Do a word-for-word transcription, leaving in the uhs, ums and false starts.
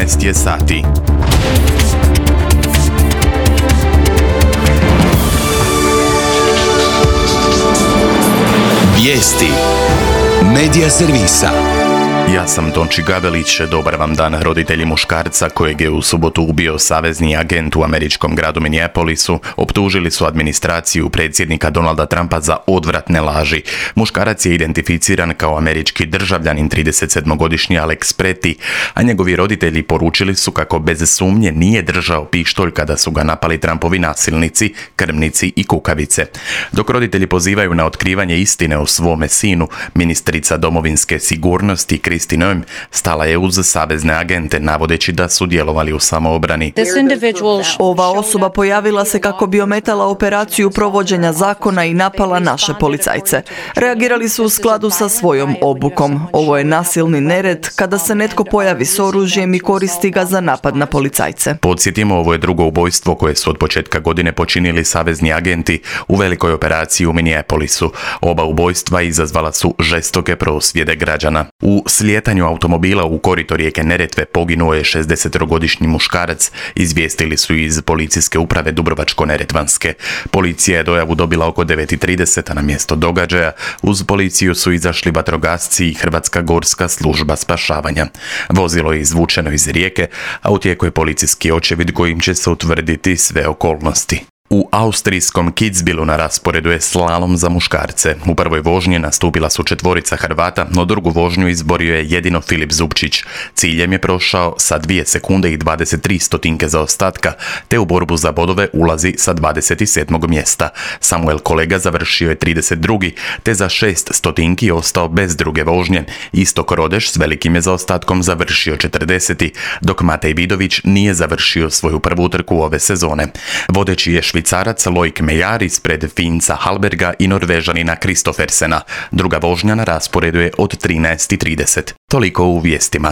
trinaest je sati. Vijesti Medija servisa. Ja sam Tonči Gavelić, dobar vam dan. Roditelji muškarca kojeg je u subotu ubio savezni agent u američkom gradu Minneapolisu optužili su administraciju predsjednika Donalda Trumpa za odvratne laži. Muškarac je identificiran kao američki državljanin tridesetsedmogodišnji Alex Preti, a njegovi roditelji poručili su kako bez sumnje nije držao pištolj kada su ga napali Trumpovi nasilnici, krvnici i kukavice. Dok roditelji pozivaju na otkrivanje istine o svome sinu, ministrica domovinske sigurnosti Kristi Noem stala je uz savezne agente, navodeći da su djelovali u samoobrani. Ova osoba pojavila se kako bi ometala operaciju provođenja zakona i napala naše policajce. Reagirali su u skladu sa svojom obukom. Ovo je nasilni nered kada se netko pojavi s oružjem i koristi ga za napad na policajce. Podsjetimo, ovo je drugo ubojstvo koje su od početka godine počinili savezni agenti u velikoj operaciji u Minneapolisu. Oba ubojstva izazvala su žestoke prosvjede građana. U slijetanju automobila u korito rijeke Neretve poginuo je šezdesetogodišnji muškarac, izvijestili su iz policijske uprave Dubrovačko-neretvanske. Policija je dojavu dobila oko devet i trideset, a na mjesto događaja uz policiju su izašli vatrogasci i Hrvatska gorska služba spašavanja. Vozilo je izvučeno iz rijeke, a u tijeku je policijski očevid kojim će se utvrditi sve okolnosti. U austrijskom Kitzbühelu na rasporedu je slalom za muškarce. U prvoj vožnji nastupila su četvorica Hrvata, no drugu vožnju izborio je jedino Filip Zubčić. Ciljem je prošao sa dvije sekunde i dvadeset tri stotinke zaostatka, te u borbu za bodove ulazi sa dvadeset sedmog mjesta. Samuel Kolega završio je trideset drugi, te za šest stotinki ostao bez druge vožnje. Istok Rodeš s velikim je zaostatkom završio četrdeseti, dok Matej Vidović nije završio svoju prvu trku ove sezone. Vodeći je Švicarac Loik Mejar ispred Finca Halberga i Norvežanina Kristofersena. Druga vožnja na rasporedu je od trinaest i trideset. Toliko u vijestima.